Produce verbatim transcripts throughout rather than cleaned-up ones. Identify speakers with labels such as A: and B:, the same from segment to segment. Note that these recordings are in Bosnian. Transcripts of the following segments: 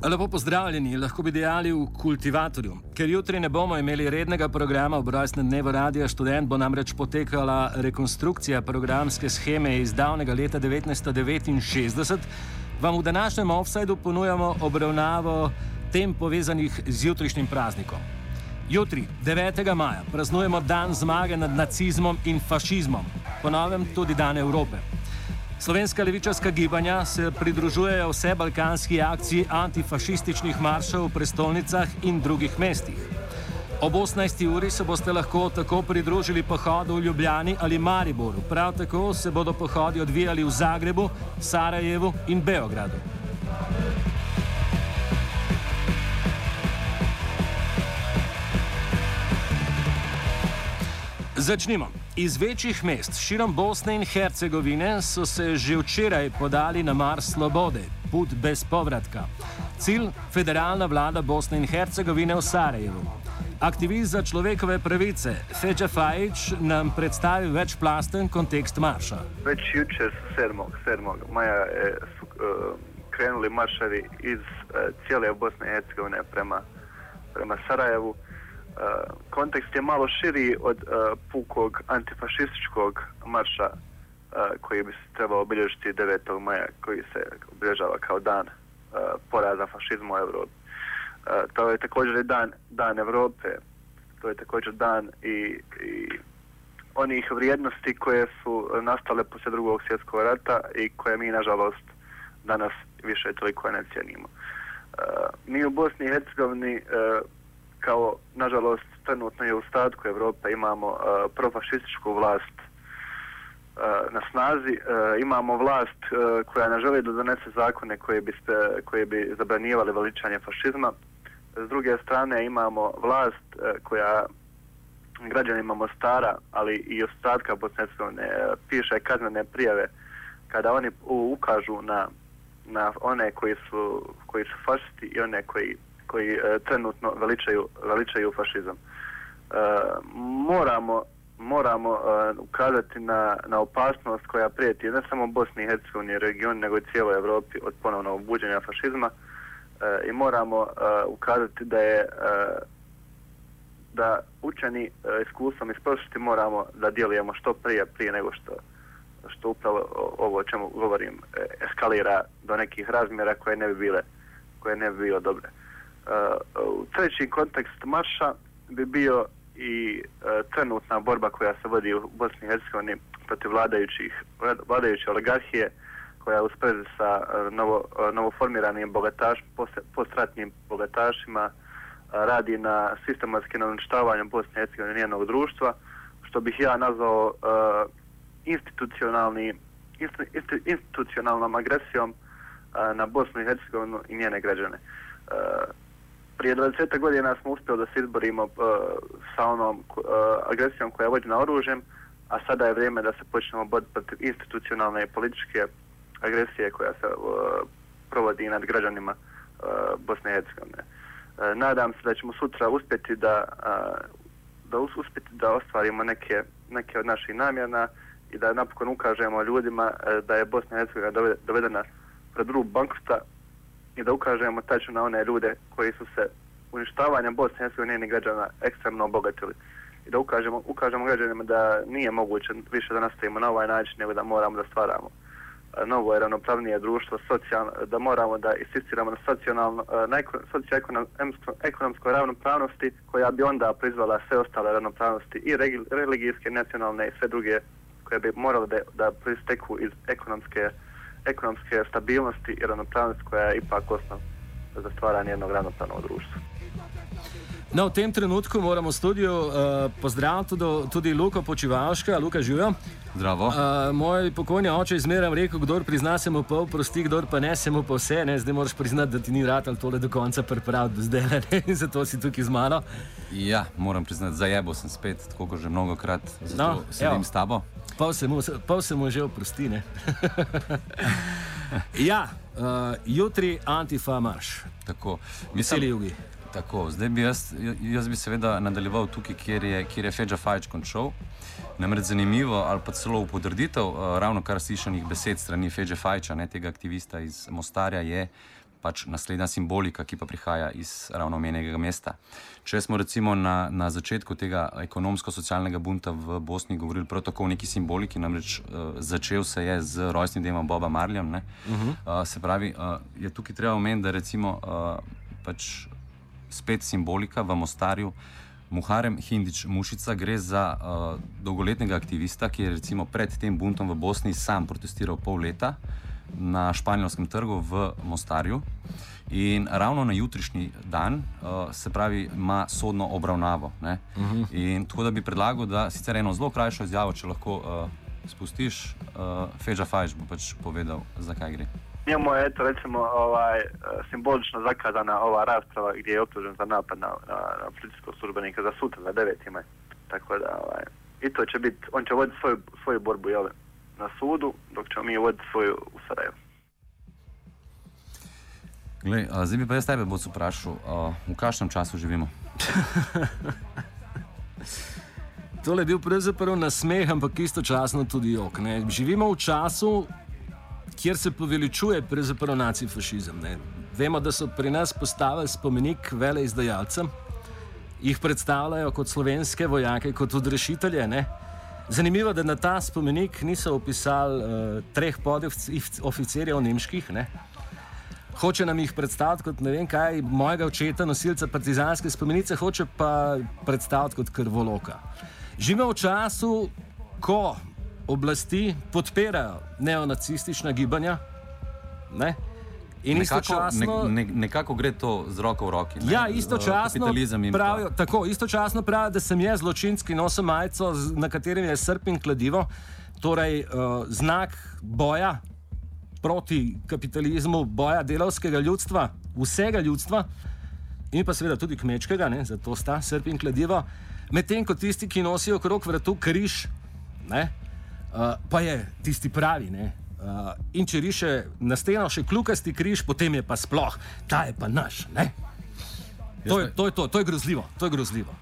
A: Lepo pozdravljeni, lahko bi dejali v Kultivatorju. Ker jutri ne bomo imeli rednega programa ob rojstnem dnevu Radia Študent, bo namreč potekala rekonstrukcija programske sheme iz davnega leta devetnajststo devetinšestdeset, vam v današnjem Offsideu ponujamo obravnavo tem povezanih z jutrišnjim praznikom. Jutri, devetega maja, praznujemo dan zmage nad nacizmom in fašizmom, po novem tudi dan Evrope. Slovenska levičarska gibanja se pridružujejo vse balkanski akciji antifašističnih maršev v prestolnicah in drugih mestih. Ob osemnajsti uri se boste lahko tako pridružili pohodu v Ljubljani ali Mariboru. Prav tako se bodo pohodi odvijali v Zagrebu, Sarajevu in Beogradu. Začnimo. Iz večjih mest širom Bosne in Hercegovine so se že včeraj podali na Mars Slobode, put bez povratka. Cilj: federalna vlada Bosne in Hercegovine v Sarajevu. Aktivist za človekove pravice Feđa Fajić nam predstavi večplasten kontekst marša.
B: Već jučer sedmog maja je, su uh, krenuli marševi iz uh, cijele Bosne i Hercegovine prema, prema Sarajevu. Uh, kontekst je malo širi od uh, pukog antifašističkog marša uh, koji bi se trebao obilježiti devetog maja, koji se obilježava kao dan uh, poraza fašizma u Evropi. Uh, to je također dan, dan Evrope, to je također dan i, i onih vrijednosti koje su nastale poslije drugog svjetskog rata i koje mi, nažalost, danas više toliko ne cijenimo. Uh, mi u Bosni i Hercegovini uh, kao, nažalost, trenutno je u ostatku Evrope imamo uh, profašističku vlast uh, na snazi. Uh, imamo vlast uh, koja ne želi da donese zakone koje bi, spe, koje bi zabranjivali veličanje fašizma. S druge strane imamo vlast uh, koja građanima Mostara, ali i ostatka Bosne i Hercegovine uh, piše kaznene prijave kada oni ukažu na, na one koji su, koji su fašisti i one koji koji e, trenutno veličaju, veličaju fašizam. E, moramo moramo e, ukazati na, na opasnost koja prijeti ne samo Bosni i Hercegovini i regionu, nego i cijeloj Evropi od ponovnog buđenja fašizma e, i moramo e, ukazati da je e, da učeni e, iskustvom iz prošlosti moramo da djelujemo što prije, prije nego što, što upravo ovo o čemu govorim e, eskalira do nekih razmjera koje ne bi bile, koje ne bi bilo dobre. Uh, treći kontekst marša bi bio i uh, trenutna borba koja se vodi u Bosni i Hercegovini protiv vladajućih, vladajuće oligarhije, koja je u sprezi sa uh, novo, uh, novoformiranim bogataš, post, postratnim bogatašima uh, radi na sistematskim uništavanju Bosne i Hercegovine i njenog društva, što bih ja nazvao uh, institucionalni, insti, insti, institucionalnom agresijom uh, na Bosnu i Hercegovinu i njene građane. Uh, Prije dvadeset godina smo uspjeli da se izborimo uh, sa onom uh, agresijom koja je vođena oružjem, a sada je vrijeme da se počnemo boriti protiv institucionalne i političke agresije koja se uh, provodi nad građanima uh, Bosne i Hercegovine. Uh, nadam se da ćemo sutra uspjeti da, uh, da uspjeti da ostvarimo neke, neke od naših namjera i da napokon ukažemo ljudima uh, da je Bosna i Hercegovina dovedena pred rub bankrota i da ukažemo tačno na one ljude koji su se uništavanjem Bosne i Hercegovine i njenih građana ekstremno obogatili. I da ukažemo, ukažemo građanima da nije moguće više da nastavimo na ovaj način, nego da moramo da stvaramo novo i ravnopravnije društvo, socijalno, da moramo da insistiramo na socijalno, na socioekonomskoj ravnopravnosti koja bi onda prizvala sve ostale ravnopravnosti i religijske, nacionalne i sve druge koje bi morale da, da proisteku iz ekonomske ekonomske stabilnosti i ravnopravnosti koja je ipak osnov za stvaranje jednog ravnopravnog društva.
A: No, v tem trenutku moramo v studiu uh, pozdraviti tudi, tudi Luko Počivalška. Luka, živijo.
C: Zdravo.
A: Uh, moj pokojni oče je zmeraj rekel, kdor prizna se mu pol prosti, kdor pa ne se mu pa vse. Ne? Zdaj moraš priznati, da ti ni ratal tole do konca pripraviti do zdaj, ne? In zato si tukaj z mano.
C: Ja, moram priznati, zajebo sem spet, tako kot že mnogokrat, zato
A: no,
C: sedim s tabo.
A: Pol se mu, pol se mu že oprosti, ne? Ja, uh, jutri Antifa marš.
C: Tako.
A: Veseli jugi.
C: Tako, zdaj bi jaz, jaz bi seveda nadaljeval tukaj, kjer je, kjer je Feđa Fajić končal. Namreč zanimivo, ali pa celo v potrditev, uh, ravno kar slišanih besed strani Feđe Fajića, ne, tega aktivista iz Mostarja, je pač naslednja simbolika, ki pa prihaja iz ravno omenjenega mesta. Če smo recimo na, na začetku tega ekonomsko-socialnega bunta v Bosni govorili prav tako o neki simboliki, namreč uh, začel se je z rojstnim dnem Boba Marleya, ne? Uh-huh. uh, se pravi, uh, je tukaj treba omeniti, da recimo uh, pač spet simbolika v Mostarju, Muharem Hindić Mušica gre za uh, dolgoletnega aktivista, ki je recimo pred tem buntom v Bosni sam protestiral pol leta na Španjolskem trgu v Mostarju in ravno na jutrišnji dan, uh, se pravi, ima sodno obravnavo. Ne? Uh-huh. In tako da bi predlagal, da sicer eno zelo krajšo izjavo, če lahko uh, spustiš, uh, Feđa Fajić bo pač povedal, zakaj gre.
B: Njemu je, eto, recimo, ovaj, simbolično zakazana ova rasprava gdje je optužen za napad na, na, na policijskog službenika za sutra, za deveti maj. Tako da, ovaj, i to će biti, on će voditi svoju, svoju borbu, jel, na sudu, dok ćemo mi voditi svoju u Sarajevu.
C: Glej, a, zdaj bi pa jaz tebe Boc vprašal, a, v kakšnem času živimo?
A: Tole je bil pravzaprav nasmeh, ampak istočasno tudi jok. Ne? Živimo v času, kjer se poveličuje pravzaprav nacifašizem. Ne? Vemo, da so pri nas postavili spomenik veleizdajalcem, jih predstavljajo kot slovenske vojake, kot odrešitelje. Ne? Zanimivo, da na ta spomenik niso opisali uh, treh podoficirjev nemških. Ne? Hoče nam jih predstaviti kot ne vem kaj, mojega očeta, nosilca partizanske spomenice, hoče pa predstaviti kot krvoloka. Živimo v času, ko oblasti podpirajo neonacistična gibanja, ne? In
C: nekako,
A: istočasno...
C: Ne, ne, nekako gre to z roko v roki. Ne?
A: Ja, istočasno pravijo, tako, istočasno pravijo, da sem jaz zločinski, nosim majico, na katerem je srp in kladivo, torej uh, znak boja proti kapitalizmu, boja delavskega ljudstva, vsega ljudstva in pa seveda tudi kmečkega, ne, zato sta srp in kladivo, medtem ko tisti, ki nosijo okrog vratu križ, ne, uh, pa je tisti pravi, ne. Uh, in če riše na steno še kljukasti križ, potem je pa sploh, ta je pa naš, ne. To je to, je to, to je grozljivo, to je grozljivo.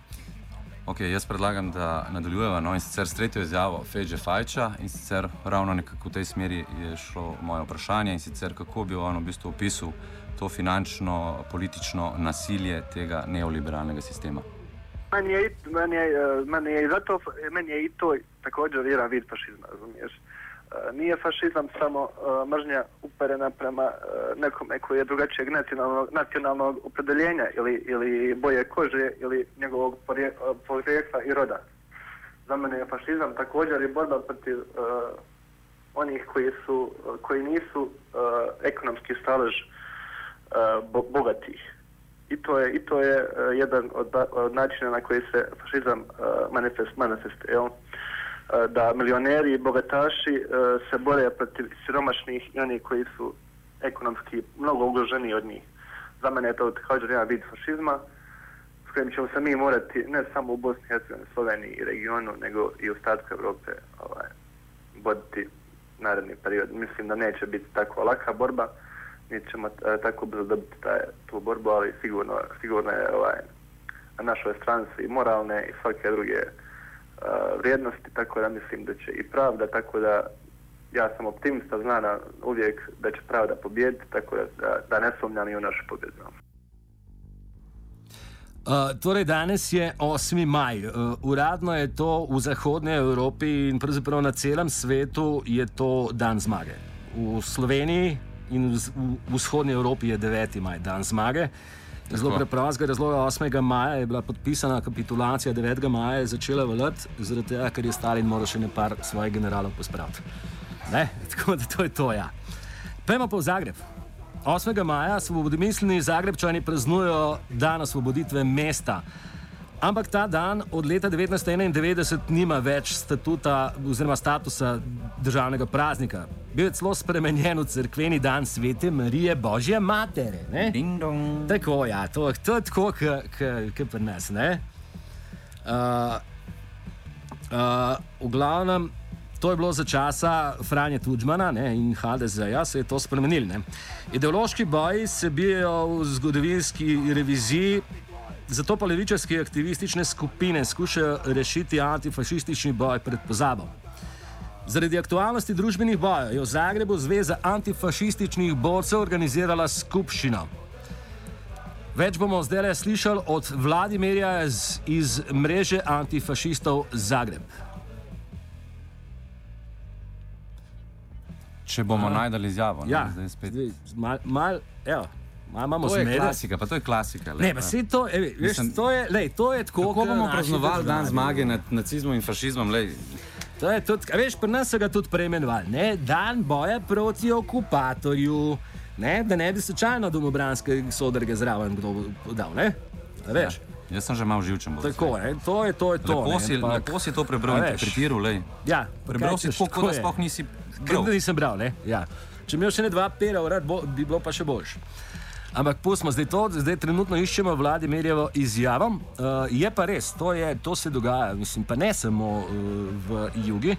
C: Ok, jaz predlagam, da nadaljujeva, no, in sicer s tretjo izjavo Feđe Fajića, in sicer ravno nekako v tej smeri je šlo moje vprašanje, in sicer kako bi on v bistvu opisal to finančno, politično nasilje tega neoliberalnega sistema.
B: Meni je, meni je, meni je, zato, meni je i to također jedan vid fašizma, razumiješ. Nije fašizam samo uh, mržnja uperena prema uh, nekome koji je drugačijeg nacionalnog, nacionalnog opredeljenja ili, ili boje kože ili njegovog porije, uh, porijekla i roda. Za mene je fašizam također i borba protiv uh, onih koji, su, uh, koji nisu uh, ekonomski stalež uh, bo, bogatih. I to je, i to je uh, jedan od, od načina na koji se fašizam uh, manifest, manifestuje. Da milioneri i bogataši uh, se bore protiv siromašnih i oni koji su ekonomski mnogo ugroženiji od njih. Za mene je to također jedan vid fašizma s kojim ćemo se mi morati ne samo u Bosni i Hercegovini, Sloveniji i regionu, nego i u ostatku Evrope ovaj, boriti naredni period. Mislim da neće biti tako laka borba, niti ćemo uh, tako brzo dobiti taj, tu borbu, ali sigurno, sigurno je ovaj, na našoj strani i moralne i svake druge Uh, vrijednosti, tako da mislim da će i pravda, tako da ja sam optimista, znam uvijek da će pravda pobijediti, tako da, da, da ne sumnjam i u našu pobjedu.
A: Uh, torej danes je osmi maj. Uh, uradno je to v zahodnej Evropi in pravzaprav na celem svetu je to dan zmage. V Sloveniji in v, v vzhodnji Evropi je deveti maj, dan zmage. Zelo preprostega razloga, osmega maja je bila podpisana kapitulacija, devetega maja je začela veljati, zaradi tega, ker je Stalin moral še nekaj svojih generalov pospraviti. Ne? Tako da to je to, ja. Pejmo pa v Zagreb. osmega maja svobodomisleni Zagrebčani praznujejo dan osvoboditve mesta. Ampak ta dan od leta devetnajststo enaindevetdeset nima več statuta oziroma statusa državnega praznika. Bil je celo spremenjen v cerkveni dan Svete Marije Božje Matere. Ne?
C: Ding dong.
A: Tako, ja, to, to je tako, kot pri nas. Ne? Uh, uh, v glavnem, to je bilo za časa Franje Tudžmana, ne, in ha de zeja, se je to spremenil. Ne? Ideološki boji se bijejo v zgodovinski reviziji, zato pa levičarske aktivistične skupine skušajo rešiti antifašistični boj pred pozabo. Zaradi aktualnosti družbenih bojev je v Zagrebu Zveza antifašističnih borcev organizirala skupščino. Več bomo zdaj slišali od Vladimirja iz, iz mreže antifašistov Zagreb.
C: Če bomo najdali izjavo, ne?
A: Ja,
C: Zdaj spet.
A: mal, mal, evo, mal imamo
C: To je
A: zmede.
C: klasika, pa to je klasika.
A: Ne, pa sej to, evi, veš,
C: Mislim,
A: to je, lej, to je tako,
C: Kako
A: kot
C: bomo
A: naši
C: praznovali dan
A: državljani.
C: zmage nad nacizmom in fašizmom? Lej,
A: To je tudi, a veš, pri nas so ga tudi preimenovali, ne, dan boja proti okupatorju, ne, da ne bi slučajno domobranske sodrge zraven kdo dal, ne, a veš.
C: ja, jaz sem že malo živčen. bolj
A: Tako,
C: zdaj.
A: ne, to je to, je to.
C: Lepo
A: ne,
C: si,
A: ampak-
C: lepo si to prebral
A: A
C: in
A: veš.
C: interpretiral, lej.
A: Ja,
C: Prebral
A: kaj
C: si
A: češ,
C: tako,
A: tako
C: kot da
A: je.
C: sploh nisi
A: Kot
C: bral.
A: da nisem bral, ne, ja. Če imel še ne dva pera urad, bo, bi bilo pa še boljš. Ampak pustimo zdaj to, zdaj trenutno iščemo Vladimirjevo izjavo. Uh, je pa res, to, je, to se dogaja, mislim, pa ne samo uh, v Jugi.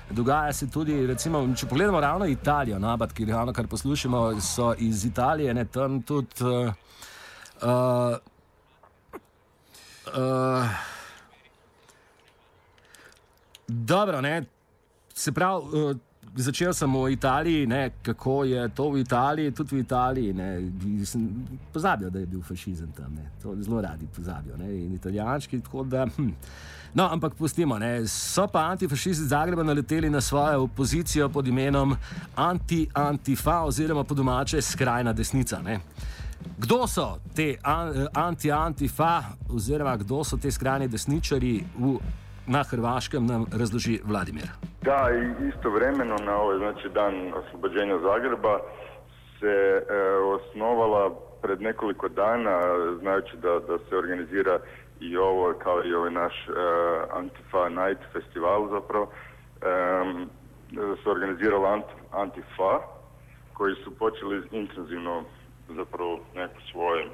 A: Dogaja se tudi, recimo, če pogledamo ravno Italijo, nabat, ki ravno kar poslušamo, so iz Italije, ne, tam tudi uh, uh, uh, dobro, ne, se pravi, uh, začel sem v Italiji, ne, kako je to v Italiji, tudi v Italiji, ne, sem pozabil, da je bil fašizem tam, ne, to zelo radi pozabijo, ne, in italijančki, tako da, hm. No, ampak pustimo, ne, so pa antifašisti iz Zagreba naleteli na svojo opozicijo pod imenom anti-antifa oziroma po domače skrajna desnica, ne. Kdo so te an, anti-antifa oziroma kdo so te skrajni desničari v, na Hrvaškem, nam razloži Vladimir.
D: Da, i istovremeno na ovaj, znači, dan oslobođenja Zagreba se e, osnovala pred nekoliko dana, znajući da, da se organizira i ovo, kao i ovaj naš e, Antifa Night festival zapravo, e, se organizirala Ant, Antifa, koji su počeli intenzivno zapravo neko svoje,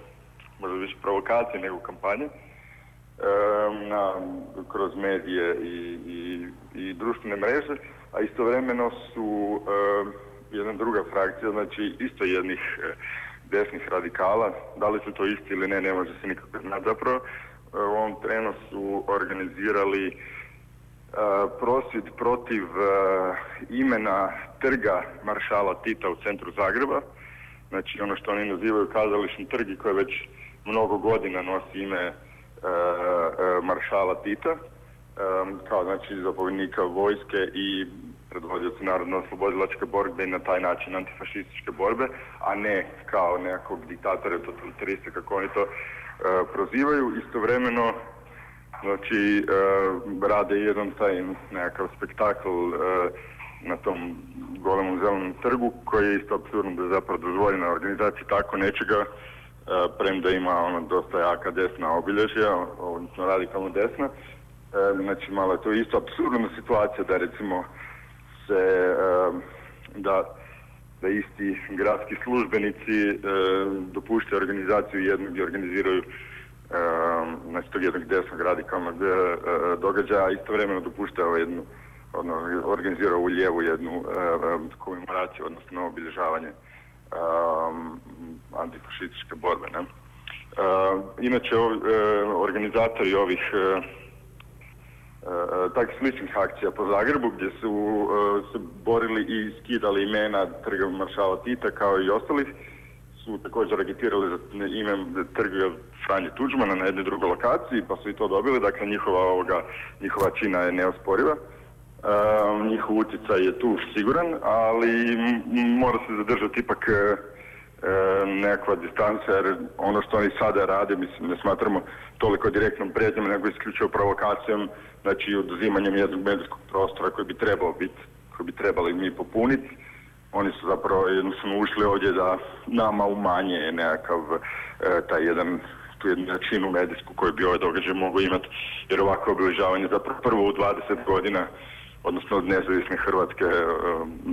D: možda više provokacije nego kampanje, Na, kroz medije i, i, i društvene mreže, a istovremeno su e, jedna druga frakcija, znači isto jednih e, desnih radikala, da li su to isti ili ne, ne može se nikako znati. Zapravo, e, u ovom trenu su organizirali e, prosvjed protiv e, imena trga maršala Tita u centru Zagreba, znači ono što oni nazivaju kazališni trg i koje već mnogo godina nosi ime Uh, uh, maršala Tita, um, kao znači zapovjednika vojske i predvodioca narodno-oslobodilačke borbe i na taj način antifašističke borbe, a ne kao nekakvog diktatora, totalitarista, kako oni to uh, prozivaju. Istovremeno, znači, uh, rade jedan taj nekakav spektakl uh, na tom golemom zelenom trgu, koji je isto apsurdno da je zapravo dozvoljena organizacija tako nečega, Uh, premda ima ono dosta jaka desna obilježja, odnosno radikalno desna. Uh, znači malo je to isto apsurdna situacija da recimo se uh, da, da isti gradski službenici uh, dopuštaju organizaciju jednog gdje organiziraju uh, znači tog jednog desnog radikalnog uh, događaja, istovremeno dopuštaju jednu, ono, organiziraju u lijevu jednu uh, komemoraciju, odnosno obilježavanje Um, antifašističke borbe. Ne? Uh, inače, ov, uh, organizatori ovih uh, uh, takvih sličnih akcija po Zagrebu, gdje su uh, se borili i skidali imena trga maršala Tita kao i ostalih, su također agitirali za ime trga Franje Tuđmana na jednoj drugoj lokaciji, pa su i to dobili. Dakle, njihova, ovoga, njihova čina je neosporiva. Uh, njihov utjecaj je tu siguran, ali m- mora se zadržati ipak uh, nekakva distanca, jer ono što oni sada rade, mislim, ne smatramo toliko direktnom prijetnjom, nego isključivo provokacijom, znači oduzimanjem jednog medijskog prostora koji bi trebao biti, koji bi trebali mi popuniti. Oni su zapravo jednostavno ušli ovdje da nama umanje nekakav uh, taj jedan, tu jednu jačinu medijsku koju bi ovaj događaj mogao imati, jer ovako obilježavanje zapravo prvo u dvadeset godina, odnosno od nezavisne Hrvatske,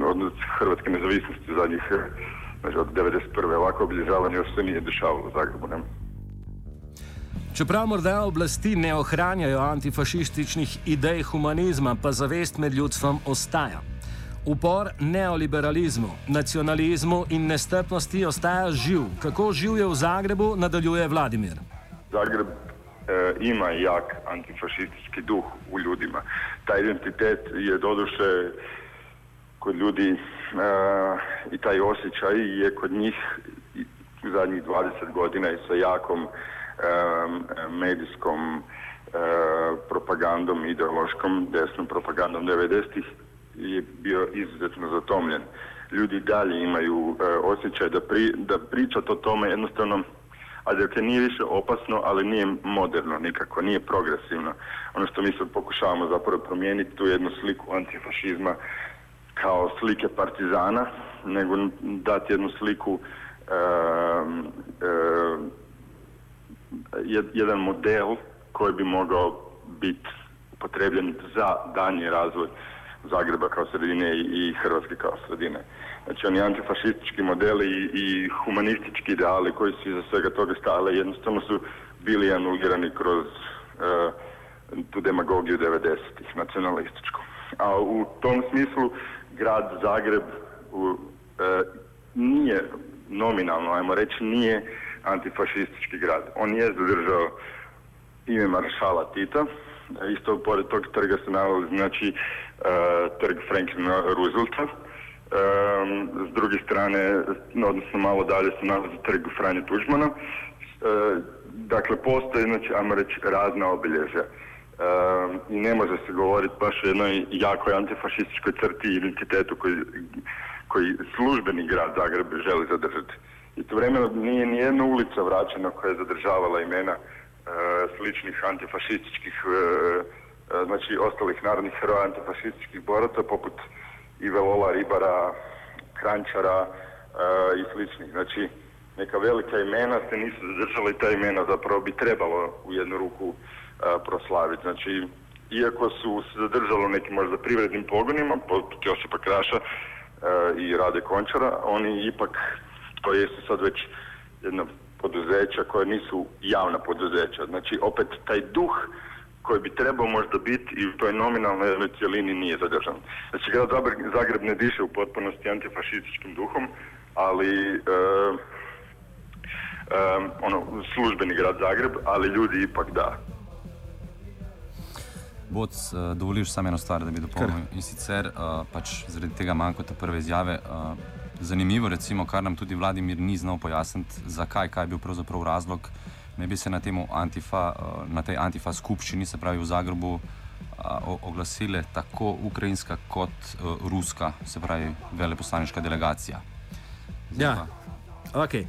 D: od Hrvatske nezavisnosti zadnjih, znači od devedeset prve ovako obilježavanje još se nije dešavalo u Zagrebu. Ne?
A: Čeprav morda oblasti ne ohranjajo antifašističnih idej humanizma, pa zavest med ljudstvom ostaja. Upor neoliberalizmu, nacionalizmu in nestrpnosti ostaja živ. Kako živ je v Zagrebu, nadaljuje Vladimir.
D: Zagreb e, ima jak antifašistički duh u ljudima. Taj identitet je doduše kod ljudi e, i taj osjećaj je kod njih u zadnjih dvadeset godina i sa jakom e, medijskom e, propagandom, ideološkom, desnom propagandom devedesetih je bio izuzetno zatomljen. Ljudi dalje imaju e, osjećaj da, pri, da pričat o tome jednostavno, a da nije više opasno, ali nije moderno nikako, nije progresivno. Ono što mi sad pokušavamo zapravo promijeniti, tu jednu sliku antifašizma kao slike partizana, nego dati jednu sliku, e, e, jedan model koji bi mogao biti upotrebljen za daljnji razvoj Zagreba kao sredine i Hrvatske kao sredine. Znači oni antifašistički modeli i, i humanistički ideali koji su iza svega toga stale jednostavno su bili anulirani kroz uh, tu demagogiju devedesetih, nacionalističku. A u tom smislu grad Zagreb u, uh, nije nominalno, ajmo reći, nije antifašistički grad. On je zadržao ime maršala Tita. Isto pored tog trga se nalazi, znači, uh, trg Franklina Roosevelta. Um, s druge strane, odnosno malo dalje se nalazi trg Franje Tuđmana. Uh, dakle, postoje, znači, ajmo reći, razna obilježja. Uh, I ne može se govoriti baš o jednoj jakoj antifašističkoj crti i identitetu koji, koji službeni grad Zagreb želi zadržati. Istovremeno nije ni jedna ulica vraćena koja je zadržavala imena uh, sličnih antifašističkih, uh, uh, znači ostalih narodnih heroja antifašističkih boraca, poput Ivelola, Ribara, Kranjčara uh, i sličnih. Znači, neka velika imena se nisu zadržala i ta imena zapravo bi trebalo u jednu ruku uh, proslaviti. Znači, iako su se zadržalo nekim možda privrednim pogonima, poput Josipa Kraša uh, i Rade Končara, oni ipak, to jesu sad već jedna poduzeća koja nisu javna poduzeća. Znači, opet taj duh koji bi trebao možda biti i u toj nominalnoj cijelini nije zadržan. Znači, grad Zagreb ne diše u potpunosti antifašističkim duhom, ali e, e, ono, službeni grad Zagreb, ali ljudi ipak da.
C: Boc, dovoliš samo eno stvar, da bi dopolnil. In sicer, pač zaradi tega mankota prve izjave, zanimivo recimo, kar nam tudi Vladimir ni znal pojasniti, zakaj, kaj je bil pravzaprav razlog, ne bi se na temu Antifa, na tej Antifa skupščini, se pravi v Zagrebu, oglasile tako ukrajinska kot ruska, se pravi veleposlaniška delegacija.
A: Ja, okej.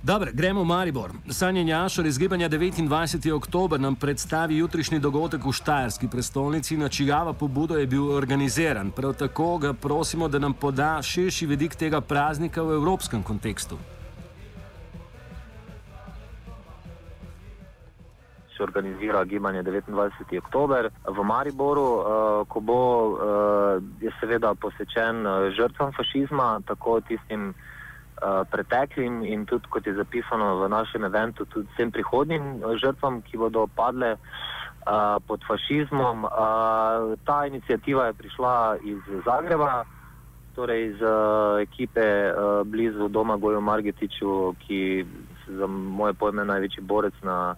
A: Dobro, gremo v Maribor. Sanje Njašar iz Gibanja devetindvajseti oktober nam predstavi jutrišnji dogodek v štajerski prestolnici, na čigava pobudo je bil organiziran. Prav tako ga prosimo, da nam poda širši vidik tega praznika v evropskem kontekstu.
E: Se organizira Gibanje devetindvajseti oktober v Mariboru, ko bo, je seveda posvečen žrtvam fašizma, tako tistim preteklim in tudi, kot je zapisano v našem eventu, tudi vsem prihodnjim žrtvam, ki bodo padle pod fašizmom. Ta inicijativa je prišla iz Zagreba, torej iz ekipe blizu doma Goju Margetiću, ki za moje pojme največji borec na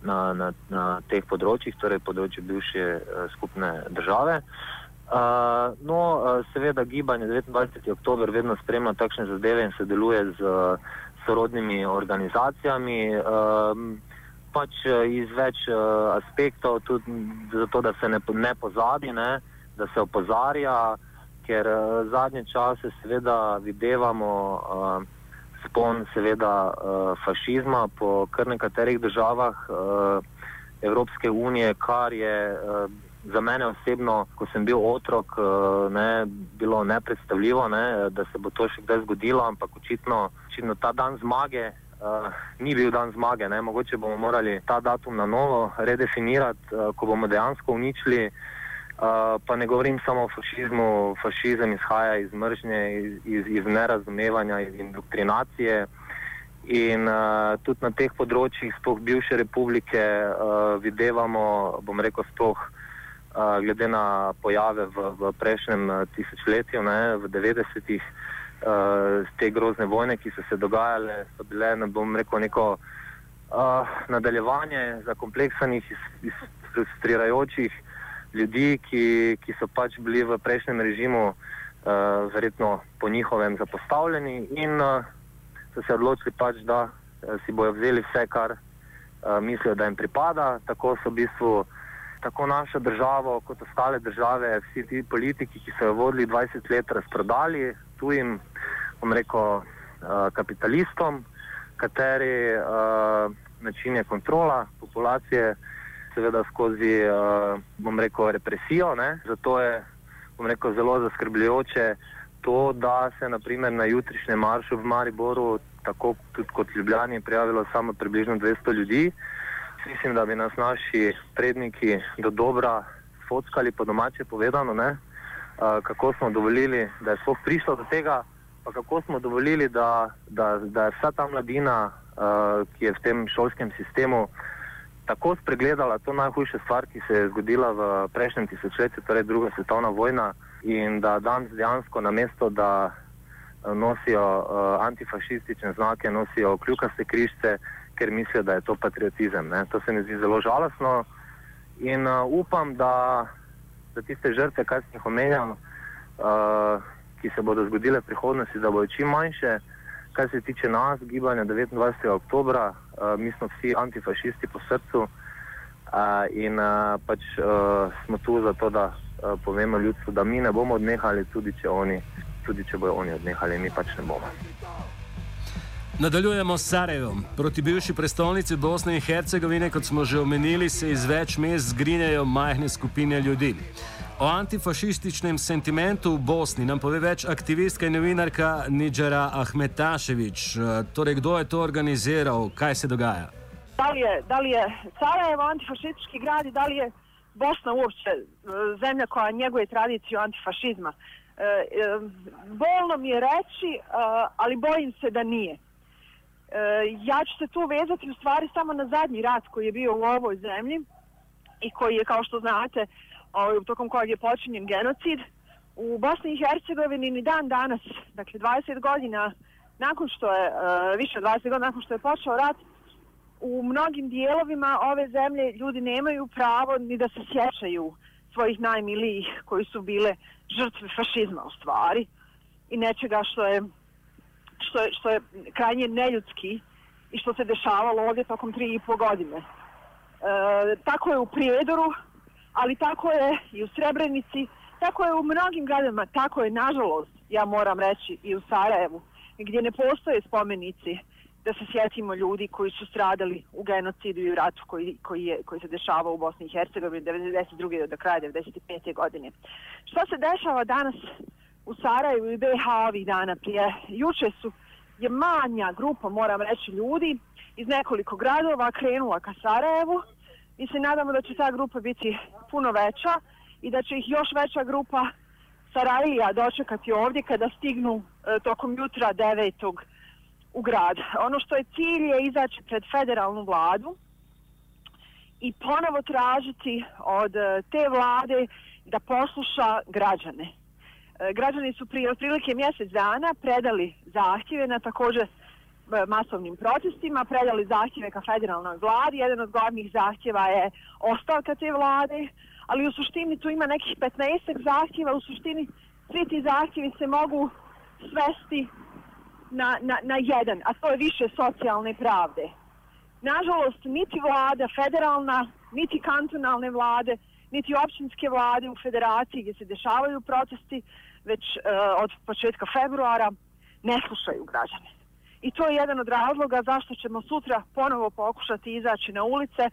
E: Na, na, na teh področjih, torej področju bivše uh, skupne države. Uh, no, uh, seveda Gibanje devetindvajseti oktober vedno spremlja takšne zadeve in sodeluje z uh, sorodnimi organizacijami, uh, pač uh, iz več uh, aspektov, tudi zato, da se ne, ne pozabi, ne, da se opozarja, ker uh, zadnje čase seveda videvamo uh, spon seveda uh, fašizma po kar nekaterih državah uh, Evropske unije, kar je uh, za mene osebno, ko sem bil otrok, uh, ne, bilo nepredstavljivo, ne, da se bo to še kdaj zgodilo, ampak očitno, očitno ta dan zmage uh, ni bil dan zmage. Ne. Mogoče bomo morali ta datum na novo redefinirati, uh, ko bomo dejansko uničili. Uh, pa ne govorim samo o fašizmu, fašizem izhaja iz mržnje, iz, iz, iz nerazumevanja, iz indoktrinacije in uh, tudi na teh področjih sploh bivše republike uh, videvamo, bom rekel sploh uh, glede na pojave v, v prejšnjem tisočletju, ne, v devetdesetih, uh, te grozne vojne, ki so se dogajale, so bile, ne bom rekel, neko uh, nadaljevanje zakompleksanih, frustrirajočih ljudi, ki, ki so pač bili v prejšnjem režimu uh, verjetno po njihovem zapostavljeni in uh, so se odločili pač, da uh, si bojo vzeli vse, kar uh, mislijo, da jim pripada. Tako so v bistvu tako našo državo kot ostale države, vsi ti politiki, ki so jo vodili dvajset let, razprodali tujim, bom rekel, uh, kapitalistom, kateri uh, način je kontrola populacije, seveda skozi, uh, bom rekel, represijo. Ne? Zato je, bom rekel, zelo zaskrbljujoče to, da se naprimer na jutrišnjem maršu v Mariboru, tako tudi kot Ljubljani, prijavilo samo približno dvesto ljudi. Mislim, da bi nas naši predniki do dobra fockali, po domače povedano, ne? Uh, kako smo dovolili, da je sploh prišlo do tega, pa kako smo dovolili, da, da, da je vsa ta mladina, uh, ki je v tem šolskem sistemu, tako spregledala to najhujša stvar, ki se je zgodila v prejšnjem tisočletju, torej druga svetovna vojna, in da danes dejansko namesto, da nosijo uh, antifašistične znake, nosijo kljukaste križce, ker mislijo, da je to patriotizem. Ne? To se mi zdi zelo žalostno in uh, upam, da, da tiste žrtve, kaj sem jih omenjal, uh, ki se bodo zgodile v prihodnosti, da bodo čim manjše. Kar se tiče nas, gibanja devetindvajsetega oktobra, uh, mi smo vsi antifašisti po srcu uh, in uh, pač uh, smo tu zato, da uh, povemo ljudstvu, da mi ne bomo odnehali, tudi če oni, tudi če bojo oni odnehali, mi pač ne bomo.
A: Nadaljujemo s Sarajevom. Proti bivši prestolnici Bosne in Hercegovine, kot smo že omenili, se iz več mest zgrinjajo majhne skupine ljudi. O antifašističnem sentimentu v Bosni nam pove več aktivistka in novinarka Nidžara Ahmetašević. Torej, kdo je to organiziral? Kaj se dogaja?
F: Da li je, da li je Sarajevo antifašistički grad i da li je Bosna uopće zemlja koja njeguje tradiciju antifašizma? E, e, bolno mi je reći, ali bojim se da nije. E, ja ću se tu vezati u stvari samo na zadnji rat koji je bio u ovoj zemlji i koji je, kao što znate, tokom kojeg je počinjen genocid. U Bosni i Hercegovini ni dan danas, dakle dvadeset godina nakon što je, više od dvadeset godina nakon što je počeo rat, u mnogim dijelovima ove zemlje ljudi nemaju pravo ni da se sjećaju svojih najmilijih koji su bile žrtve fašizma u stvari i nečega što je, što je, što je krajnje neljudski i što se dešavalo ovdje tokom tri i po godine. E, tako je u Prijedoru, ali tako je i u Srebrenici, tako je u mnogim gradovima, tako je nažalost, ja moram reći, i u Sarajevu, gdje ne postoje spomenici da se sjetimo ljudi koji su stradali u genocidu i u ratu koji, koji, je, koji se dešavao u Bosni i Hercegovini devedeset druge do kraja devedeset pete godine. Što se dešava danas u Sarajevu i B H ovih dana prije? Juče su je manja grupa, moram reći, ljudi iz nekoliko gradova krenula ka Sarajevu. Mi se nadamo da će ta grupa biti puno veća i da će ih još veća grupa Sarajlija dočekati ovdje kada stignu e, tokom jutra devetog u grad. Ono što je cilj je izaći pred federalnu vladu i ponovo tražiti od e, te vlade da posluša građane. E, građani su prije otprilike mjesec dana predali zahtjeve na također masovnim protestima, predali zahtjeve ka federalnoj vladi. Jedan od glavnih zahtjeva je ostavka te vlade, ali u suštini tu ima nekih petnaestak zahtjeva. U suštini svi ti zahtjevi se mogu svesti na, na, na jedan, a to je više socijalne pravde. Nažalost, niti vlada federalna, niti kantonalne vlade, niti općinske vlade u federaciji gdje se dešavaju protesti, već uh, od početka februara ne slušaju građane. I to je jedan od razloga zašto ćemo sutra ponovo pokušati izaći na ulice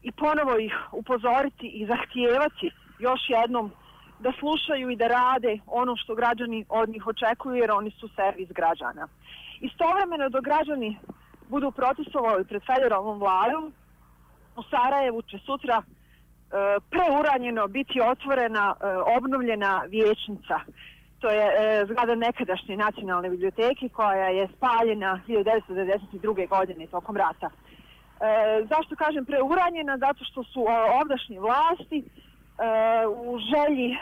F: i ponovo ih upozoriti i zahtijevati još jednom da slušaju i da rade ono što građani od njih očekuju, jer oni su servis građana. Istovremeno dok građani budu protestovali pred federalnom vladom, u Sarajevu će sutra e, preuranjeno biti otvorena, e, obnovljena vijećnica. To je e, zgrada nekadašnje nacionalne biblioteke koja je spaljena hiljadu devetsto devedeset druge godine tokom rata. E, zašto kažem preuranjena? Zato što su ovdašnje vlasti e, u želji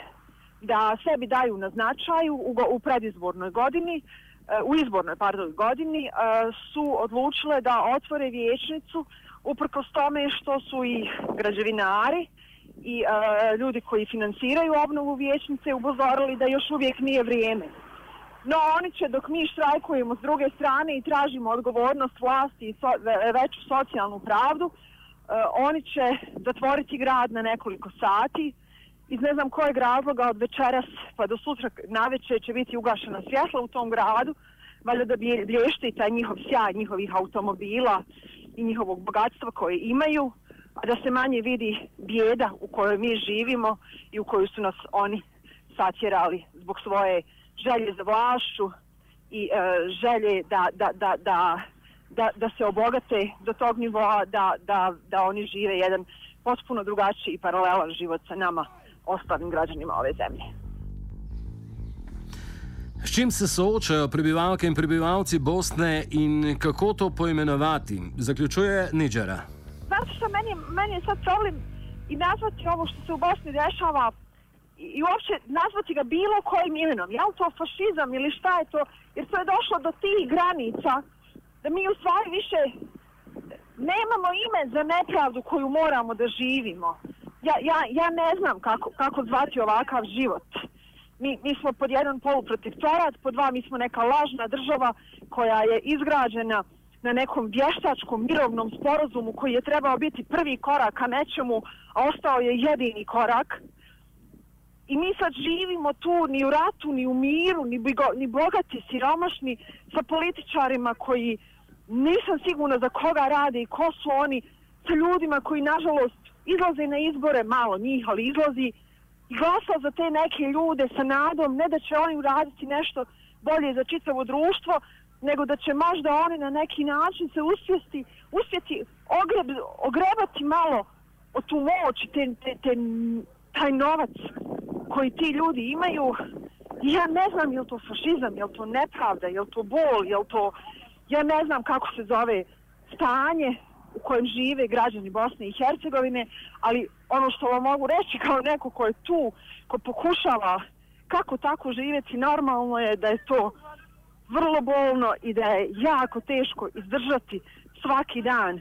F: da sebi daju na značaju u, u predizbornoj godini u izbornoj pardon, godini su odlučile da otvore vijećnicu uprkos tome što su i građevinari i ljudi koji finansiraju obnovu vijećnice upozorili da još uvijek nije vrijeme. No oni će, dok mi štrajkujemo s druge strane i tražimo odgovornost vlasti i so, veću socijalnu pravdu, oni će zatvoriti grad na nekoliko sati. Iz ne znam kojeg razloga od večeras pa do sutra navečer će biti ugašena svjetla u tom gradu, valjda da blješte taj njihov sjaj njihovih automobila i njihovog bogatstva koje imaju, a da se manje vidi bijeda u kojoj mi živimo i u koju su nas oni satjerali zbog svoje želje za vlašću i e, želje da, da, da, da, da, da se obogate do tog nivoa da, da, da oni žive jedan potpuno drugačiji i paralelan život sa nama, ostalim građanima ove zemlje.
A: S čim se soočajo prebivalke in prebivalci Bosne in kako to poimenovati? Zaključuje Nidžera.
F: Znate što, meni, meni je sad problem i nazvati ovo što se u Bosni dešava i, i uopće nazvati ga bilo kojim imenom. Je li to fašizam ili šta je to? Jer to je došlo do tih granica da mi u stvari više nemamo ime za nepravdu koju moramo da živimo. Ja, ja, ja ne znam kako, kako zvati ovakav život. Mi, mi smo pod jedan poluprotektorat, pod dva mi smo neka lažna država koja je izgrađena na nekom vještačkom mirovnom sporazumu koji je trebao biti prvi korak ka nečemu, a ostao je jedini korak. I mi sad živimo tu ni u ratu, ni u miru, ni, bigo, ni bogati, siromašni, sa političarima koji nisam sigurna za koga rade i ko su oni, sa ljudima koji nažalost izlaze na izbore, malo njih, ali izlazi i glasa za te neke ljude sa nadom, ne da će oni uraditi nešto bolje za čitavo društvo, nego da će možda oni na neki način se uspjeti, uspjeti ogreb, ogrebati malo od tu moć, te, te, te, taj novac koji ti ljudi imaju. Ja ne znam je li to fašizam, je li to nepravda, je li to bol, je li to... Ja ne znam kako se zove stanje u kojem žive građani Bosne i Hercegovine, ali ono što vam mogu reći kao neko ko je tu, ko pokušava kako tako živjeti normalno je da je to vrlo bolno i da je jako teško izdržati svaki dan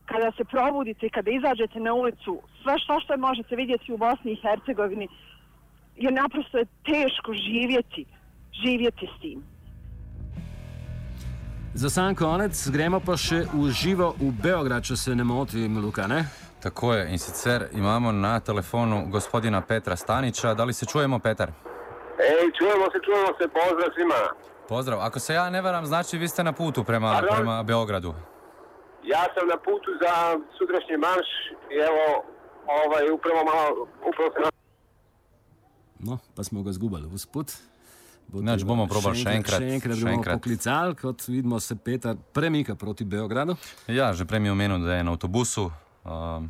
F: kada se probudite, kada izađete na ulicu, sve što što možete vidjeti u Bosni i Hercegovini, jer naprosto je teško živjeti, živjeti s tim.
A: Za sam konec gremo pa še v živo v Beograd, če se ne motim, Luka, ne?
C: Tako je, in sicer imamo na telefonu gospodina Petra Stanića. Da li se čujemo, Petar?
G: Ej, čujemo se, čujemo se, pozdrav svima.
C: Pozdrav, ako se ja ne varam, znači vi ste na putu prema, prema Beogradu.
G: Ja sam na putu za sutrašnji marš i evo, ovaj, upravo malo, upravo se...
A: No, pa smo ga zgubali usput.
C: Nač bomo probali še enkrat.
A: Še enkrat bomo poklicali, kot vidimo se Petar premika proti Beogradu.
C: Ja, že prej mi je omenil, da je na avtobusu. Um,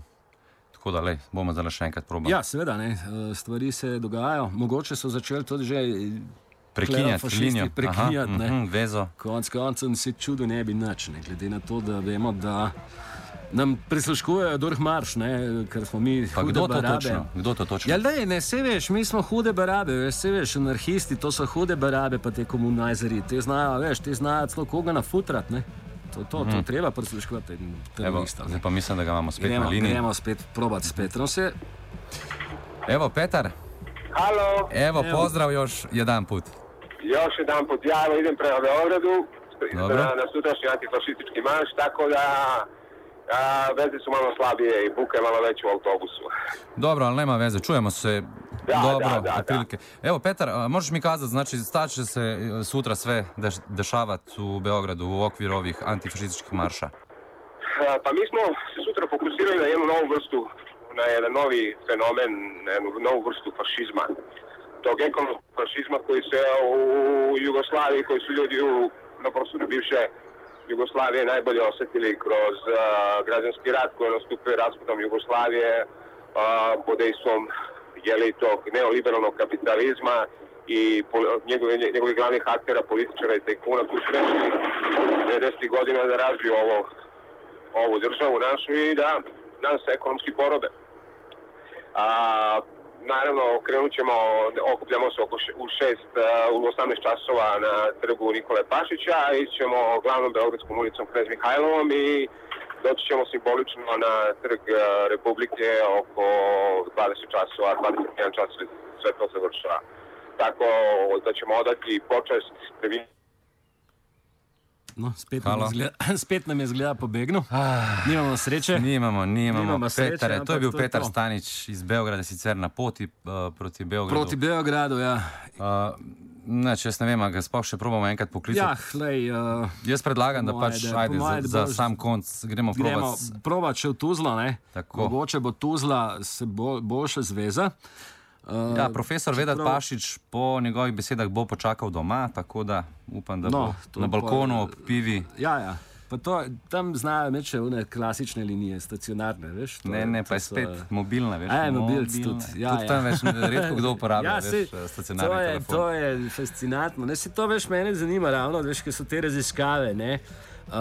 C: tako da, lej, bomo zdaj še enkrat probali.
A: Ja, seveda, ne. Stvari se dogajajo. Mogoče so začeli tudi že
C: prekinjati linijo.
A: Prekinjati,
C: Aha,
A: ne.
C: Mm-hmm, vezo.
A: Konc koncem se čudo ne bi nič, ne. Glede na to, da vemo, da nam prisluškujejo Durchmarsch, ne, ker smo mi
C: pa
A: hude
C: kdo
A: barabe.
C: To točno? Kdo to točno?
A: Ja, lej, ne, se veš, mi smo hude barabe, veš, se veš, anarhisti, to so hude barabe, pa te komunajzeri, te znajo, veš, te znajo celo koga nafutrat, ne. To, to, mm. to treba prisluškovati.
C: Evo, zdaj pa mislim, da ga imamo spet
A: gremo,
C: na liniji.
A: Gremo spet probati s Petrom se.
C: Evo, Petar.
G: Halo.
C: Evo,
A: Evo.
C: pozdrav još jedan put.
G: Još jedan put, ja evo idem prema Beogradu,
C: Dobro.
G: na, na sutrašnji antifašistički marš, tako da a, veze su malo slabije i buka je malo veća u autobusu.
C: Dobro, ali nema veze, čujemo se
G: Da,
C: dobro,
G: da, da,
C: otprilike. Evo, Petar, a, možeš mi kazati, znači, šta će se e, sutra sve deš, dešavati u Beogradu u okviru ovih antifašističkih marša?
G: A, pa mi smo se sutra fokusirali na jednu novu vrstu, na jedan novi fenomen, na jednu novu vrstu fašizma. Tog ekonomskog fašizma koji se u Jugoslaviji, koji su ljudi u, na prostoru bivše Jugoslavije najbolje osjetili kroz uh, građanski rat koji je nastupio raspadom Jugoslavije uh, pod dejstvom jeli tog neoliberalnog kapitalizma i njegovi, njegovi glavnih aktera, političara i tajkuna koji su rešili devedesetih godina da razviju ovo, ovu državu našu i da nas ekonomski porobe. A, naravno, krenut ćemo, okupljamo se oko u šest, u osamnaest časova na trgu Nikole Pašića, ićemo glavnom Beogradskom ulicom Knez Mihajlovom i doći ćemo simbolično na trg Republike oko dvadeset časova, dvadeset jedan čas, sve to se vršava. Tako da ćemo odati počest premijeru.
A: No, spet nam, zgleda, spet nam je zgleda pobegnu. Ah, nimamo sreće.
C: Nimamo, nimamo.
A: nimamo
C: Petare,
A: sreće,
C: to je bil
A: to
C: Petar
A: je to.
C: Stanič iz Beograda, sicer na poti uh, proti Beogradu.
A: Proti Beogradu, ja.
C: Uh, Neč, jaz ne vem, a ga sploh še probamo enkrat poklicati.
A: Ja, hlej, uh,
C: jaz predlagam, da pač,
A: da,
C: ajde, za,
A: da
C: za
A: boš,
C: sam konc gremo provat.
A: Gremo provat še v Tuzlo, ne?
C: Tako.
A: Mogoče bo Tuzla se bo, boljše zveza. Uh,
C: Ja, profesor Vedat
A: čeprav...
C: Pašič po njegovih besedah bo počakal doma, tako da upam, da
A: No,
C: bo na balkonu ob pivi.
A: Ja, ja. Pa to, tam znajo meče une klasične linije, stacionarne, veš? To,
C: Ne, ne, pa je
A: so-
C: spet mobilna, veš.
A: A je, mobilc
C: mobilne.
A: tudi, ja,
C: Tudi
A: ja.
C: tam več redko kdo uporablja,
A: Ja,
C: veš,
A: sej,
C: stacionarni
A: to je,
C: telefon.
A: to je fascinantno. Ne, se to veš, mene zanima ravno, veš, ker so te raziskave, ne, uh,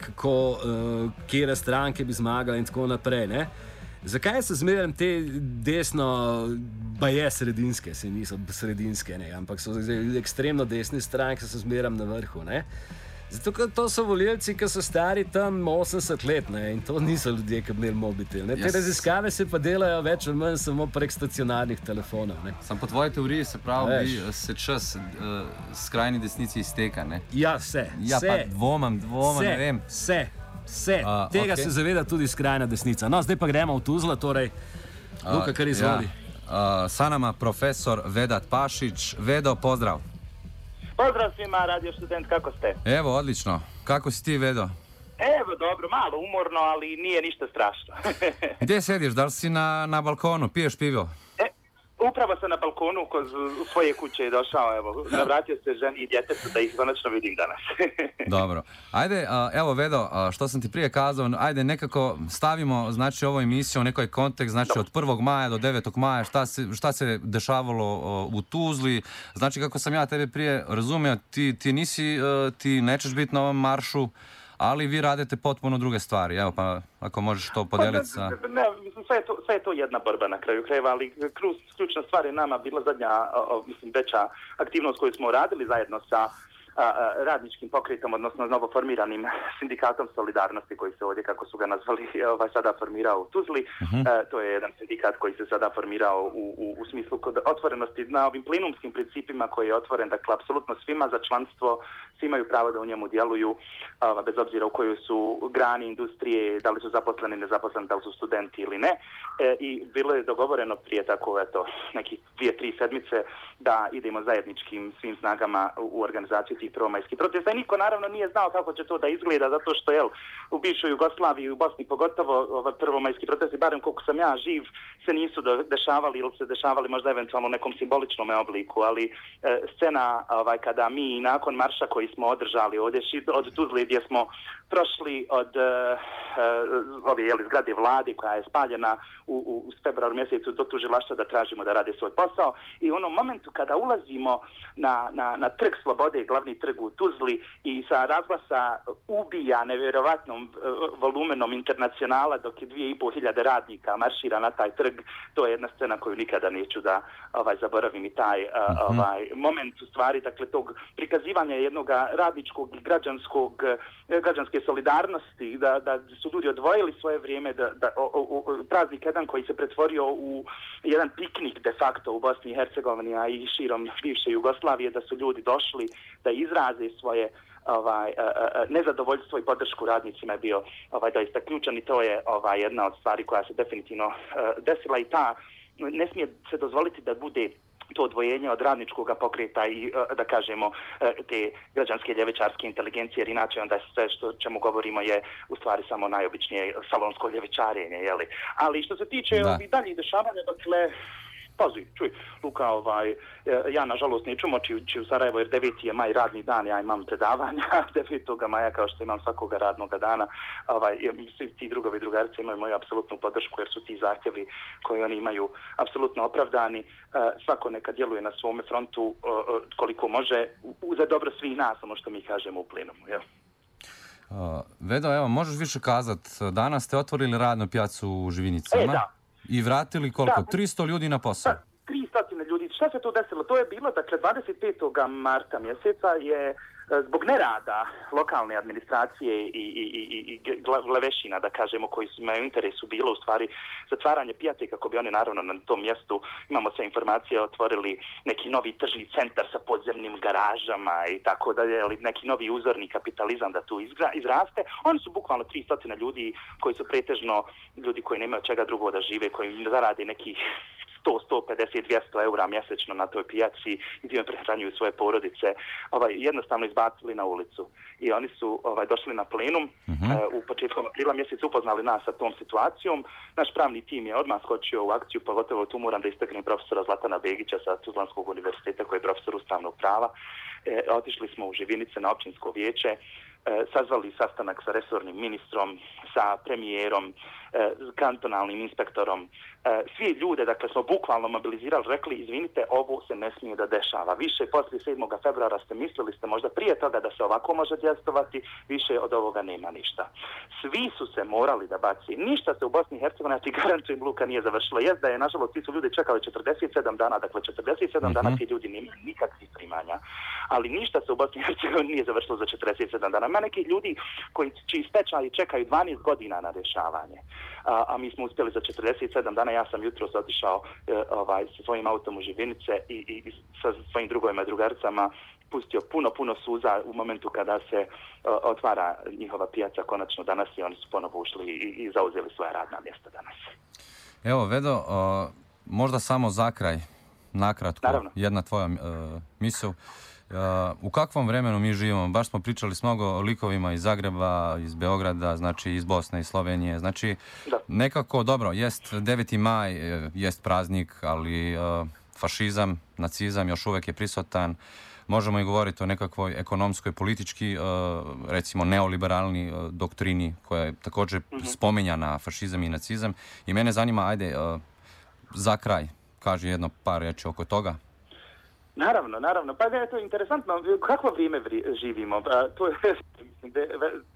A: kako, uh, kjera stranke bi zmagala in tako naprej, ne. Zakaj so zmeraj te desno, baje sredinske, se niso sredinske, ne, ampak so zdaj ekstremno desne stranke, so zmeraj na vrhu, ne. Zato, ker to so volilci, ki so stari tam osemdeset let, ne, in to niso ljudje, ki bi imeli mobitel. Ne. Te
C: Jaz-
A: raziskave se pa delajo več ali manj samo prek stacionarnih telefonov. Ne.
C: Sam po tvoji teoriji se pravi,
A: Veš.
C: bi, se čas uh, skrajni desnici izteka, ne?
A: Ja, vse.
C: Ja,
A: vse,
C: pa dvomam, dvomam,
A: vse,
C: ne vem.
A: Vse, vse.
C: A,
A: Tega
C: okej.
A: se zaveda tudi skrajna desnica. No, zdaj pa gremo v Tuzla, torej, Luka, kar izvoli.
C: Ja. Uh, sa nama profesor Vedat Pašić. Vedo, pozdrav.
H: Pozdrav svima, Radio Student, kako ste?
C: Evo, odlično. Kako si ti, Vedo?
H: Evo, dobro, malo umorno, ali nije ništa strašno.
C: Gdje sediš? Da li si na, na balkonu? Piješ pivo?
H: E, upravo sam na balkonu kod u svoje kuće došao, evo, navratio se ženi i djetetu da ih konačno vidim danas.
C: Dobro. Ajde, a, evo Vedo, a, što sam ti prije kazao, ajde nekako stavimo, znači, ovu emisiju u nekoj kontekst, znači od prvog maja do devetog maja, šta se, šta se dešavalo o, u Tuzli. Znači, kako sam ja tebe prije razumio, ti, ti nisi, e, ti nećeš biti na ovom maršu, ali vi radite potpuno druge stvari. Evo, pa ako možeš to podeliti sa...
H: Ne, mislim, sve je, to, sve je to jedna borba na kraju krajeva, ali ključ, ključna stvar je nama bila zadnja, o, o, mislim, veća aktivnost koju smo radili zajedno sa a, a, radničkim pokretom, odnosno novoformiranim sindikatom Solidarnosti, koji se ovdje, kako su ga nazvali, ovaj, sada formirao u Tuzli.
C: Uh-huh.
H: E, to je jedan sindikat koji se sada formirao u, u, u smislu kod otvorenosti na ovim plenumskim principima koji je otvoren, dakle, apsolutno svima za članstvo, svi imaju pravo da u njemu djeluju, a, bez obzira u kojoj su grani industrije, da li su zaposleni, nezaposleni, da li su studenti ili ne. E, I bilo je dogovoreno prije tako, eto, nekih dvije, tri sedmice da idemo zajedničkim svim snagama u, u organizaciju tih prvomajskih protesta. I niko naravno nije znao kako će to da izgleda, zato što, jel, u bivšoj Jugoslaviji i u Bosni pogotovo ovaj, prvomajski protesti, barem koliko sam ja živ, se nisu do, dešavali ili se dešavali možda eventualno u nekom simboličnom obliku, ali e, scena ovaj, kada mi nakon marša koji smo održali ovdje od Tuzli gdje smo prošli od e, ove jeli, zgrade vlade koja je spaljena u, u, u februaru mjesecu do tužilaštva da tražimo da rade svoj posao i u onom momentu kada ulazimo na, na, na trg Slobode, glavni trg u Tuzli i sa razglasa ubija nevjerovatnom e, volumenom internacionala dok je dvije i pol hiljade radnika maršira na taj trg, to je jedna scena koju nikada neću da ovaj, zaboravim i taj uh,
C: Mhm.
H: ovaj, moment u stvari, dakle tog prikazivanja jednog radničkog i građanskog, građanske solidarnosti, da, da su ljudi odvojili svoje vrijeme, da, da o, o, praznik jedan koji se pretvorio u jedan piknik de facto u Bosni i Hercegovini, a i širom bivše Jugoslavije, da su ljudi došli da izraze svoje ovaj nezadovoljstvo i podršku radnicima je bio ovaj doista ključan i to je ovaj jedna od stvari koja se definitivno uh, desila i ta ne smije se dozvoliti da bude to odvojenje od radničkog pokreta i, da kažemo, te građanske ljevičarske inteligencije, jer inače onda sve što čemu govorimo je u stvari samo najobičnije salonsko ljevičarenje, jeli. Ali što se tiče ovih daljih dešavanja, dakle, pazi, čuj, Luka, ovaj, ja nažalost neću moći ući u Sarajevo jer deveti je maj radni dan, ja imam predavanja devetog maja kao što imam svakoga radnog dana. Ovaj, svi ti drugovi i drugarice imaju moju apsolutnu podršku jer su ti zahtjevi koji oni imaju apsolutno opravdani. Svako neka djeluje na svome frontu koliko može za dobro svih nas, ono što mi kažemo u plenumu. Jel?
C: Uh, Vedo, evo, možeš više kazat, danas ste otvorili radnu pijacu u Živinicama?
H: E, da.
C: I vratili koliko?
H: Da.
C: tristo ljudi na posao?
H: Da, tristo ljudi. Šta se to desilo? To je bilo, dakle, dvadeset petog marta mjeseca je zbog nerada lokalne administracije i, i, i, i glavešina, da kažemo, koji su imaju interesu, bilo u stvari zatvaranje pijace, kako bi oni naravno na tom mjestu, imamo sve informacije, otvorili neki novi tržni centar sa podzemnim garažama i tako dalje, ali neki novi uzorni kapitalizam da tu izgra, izraste. Oni su bukvalno tristo ljudi koji su pretežno ljudi koji nemaju čega drugo da žive, koji zarade nekih sto, sto pedeset, dvjesto eura mjesečno na toj pijaci i time prehranjuju svoje porodice, ovaj, jednostavno izbacili na ulicu. I oni su ovaj, došli na plenum, uh-huh. uh, u početkom aprila mjeseca upoznali nas sa tom situacijom. Naš pravni tim je odmah skočio u akciju, pogotovo tu moram da istaknem profesora Zlatana Begića sa Tuzlanskog univerziteta koji je profesor ustavnog prava. E, otišli smo u Živinice na općinsko vijeće, e, sazvali sastanak sa resornim ministrom, sa premijerom, e, kantonalnim inspektorom. E, svi ljude, dakle, smo bukvalno mobilizirali, rekli, izvinite, ovo se ne smije da dešava. Više poslije sedmog februara ste mislili ste možda prije toga da se ovako može djelovati, više od ovoga nema ništa. Svi su se morali da baci. Ništa se u Bosni i Hercegovini, ti garantujem, Luka, nije završilo. Jest da je, nažalost, ti su ljudi čekali četrdeset sedam dana, dakle, četrdeset sedam mm-hmm. dana ti ljudi nemaju nikakvih primanja. Ali ništa se u Bosni i Hercegovini nije završilo za četrdeset sedam dana. Ima neki ljudi koji čiji stečaji čekaju dvanaest godina na rješavanje. A, a mi smo uspjeli za četrdeset sedam dana. Ja sam jutros otišao e, ovaj, sa svojim autom u Živinice i, i, i sa svojim drugovima i drugaricama pustio puno, puno suza u momentu kada se o, otvara njihova pijaca konačno danas i oni su ponovo ušli i, i zauzeli svoja radna mjesta danas.
C: Evo, Vedo, o, možda samo za kraj, nakratko, Naravno. jedna tvoja uh, misao. Uh, u kakvom vremenu mi živimo? Baš smo pričali s mnogo likovima iz Zagreba, iz Beograda, znači iz Bosne i Slovenije. Znači, da. nekako, dobro, jest deveti maj, jest praznik, ali uh, fašizam, nacizam još uvek je prisutan. Možemo i govoriti o nekakvoj ekonomskoj, politički, uh, recimo neoliberalni uh, doktrini koja je također mm-hmm. spominjana, fašizam i nacizam. I mene zanima, ajde, uh, za kraj, kaži jedno par reći oko toga.
H: Naravno, naravno. Pa je to interesantno. Kakvo vrijeme vri, živimo? A, to je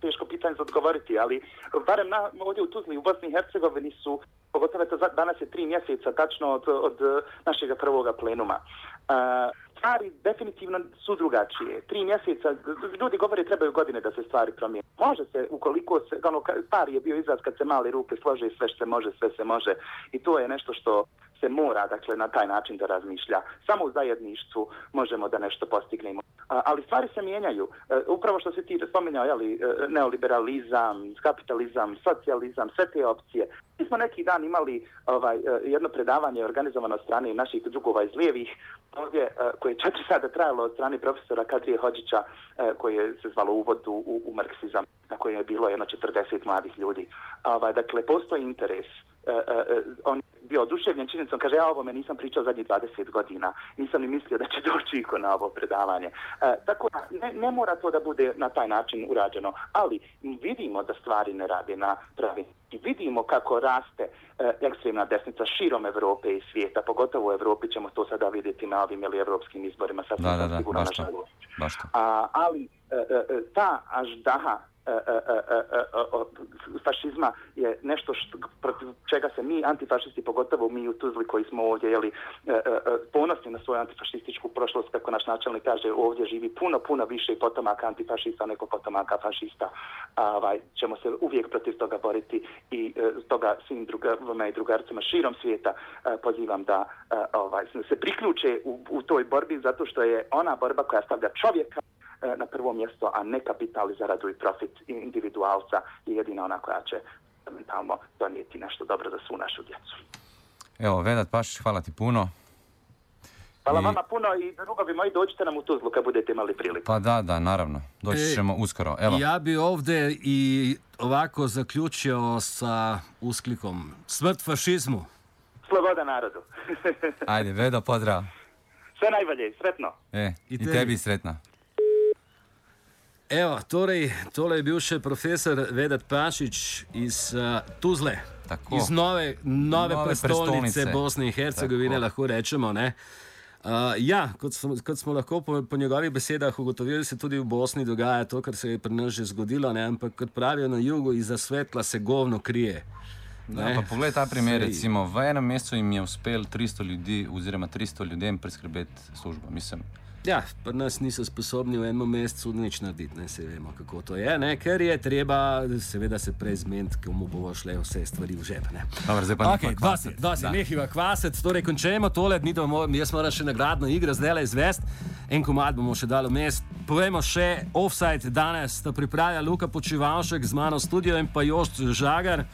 H: teško pitanje za odgovoriti, ali barem na, ovdje u Tuzli u Bosni i Hercegovini su, pogotovo to danas je tri mjeseca tačno od, od našega prvoga plenuma. A, stvari definitivno su drugačije. Tri mjeseca, ljudi govore trebaju godine da se stvari promijene. Može se, ukoliko se, ono, stari je bio izraz kad se male ruke slože, sve što se može, sve se može. I to je nešto što se mora, dakle, na taj način da razmišlja. Samo u zajedništvu možemo da nešto postignemo. A, ali stvari se mijenjaju. E, upravo što se ti spominjao, jeli, neoliberalizam, kapitalizam, socijalizam, sve te opcije. Mi smo neki dan imali ovaj, jedno predavanje organizovano od strane naših drugova iz lijevih, ovdje, koje je četiri sada trajalo od strane profesora Kadrije Hodžića, koje se zvalo Uvod u, u, u marksizam, na kojem je bilo jedno četrdeset mladih ljudi. Ovaj, dakle, postoji interes. Uh, uh, on je bio oduševljen činjenicom, kaže, ja ovo me nisam pričao zadnjih dvadeset godina, nisam ni mislio da će doći iko na ovo predavanje. Uh, tako da ne, ne mora to da bude na taj način urađeno, ali vidimo da stvari ne rade na pravi. I vidimo kako raste uh, ekstremna desnica širom Evrope i svijeta, pogotovo u Evropi ćemo to sada vidjeti na ovim ili evropskim izborima, sad
C: da, da, da,
H: sigurno
C: baš to, baš to.
H: A, ali uh, uh, ta aždaha E, e, e, e, fašizma je nešto što, protiv čega se mi antifašisti, pogotovo mi u Tuzli koji smo ovdje jeli, e, e, ponosni na svoju antifašističku prošlost, kako naš načelnik kaže, ovdje živi puno, puno više potomaka antifašista nego potomaka fašista. A, ovaj, ćemo se uvijek protiv toga boriti i e, toga svim drugama i drugarcima širom svijeta e, pozivam da e, ovaj, se priključe u, u toj borbi, zato što je ona borba koja stavlja čovjeka na prvo mjesto, a ne kapital i zaradu i profit individualca je jedina ona koja će mentalno donijeti nešto dobro za svu našu djecu.
C: Evo, Vedat Pašić, hvala ti puno.
H: Hvala I... vama puno i drugovi moji, dođite nam u Tuzlu kad budete imali priliku.
C: Pa da, da, naravno. Doći ćemo e, uskoro. Evo.
A: Ja bi ovdje i ovako zaključio sa usklikom Smrt fašizmu.
H: Sloboda narodu.
C: Ajde, Vedo, pozdrav.
H: Sve najbolje, sretno.
C: E, i, i tebi. tebi sretno.
A: Evo, torej, tole je bil še profesor Vedat Pašić iz uh, Tuzle, Tako. iz nove, nove, nove prestolnice Bosne in Hercegovine, Tako. lahko rečemo. Ne? Uh, ja, kot smo, kot smo lahko po, po njegovih besedah ugotovili, se tudi v Bosni dogaja to, kar se je pri nas že zgodilo, ne? Ampak kot pravijo na jugu, iza svetla se govno krije.
C: Da, pa poglej ta primer, recimo, v enem mesecu jim je uspel tristo ljudi oziroma tristo ljudem priskrbeti službo, mislim.
A: Ja, pa nas niso sposobni v enem mesecu nič narediti, ne, se vemo, kako to je, ne, ker je treba seveda se prej zmeniti, komu bomo šle vse stvari v žep, ne.
C: Dobar, zdaj pa
A: okay, kvasec. Dva se nehiva kvasec, torej končujemo tole, jaz moram še nagradno igro zdajle izvesti, en komad bomo še dali vmes. Povejmo še, Offside danes sta pripravila Luka Počivalšek z mano v studio in pa Jošt Žagar.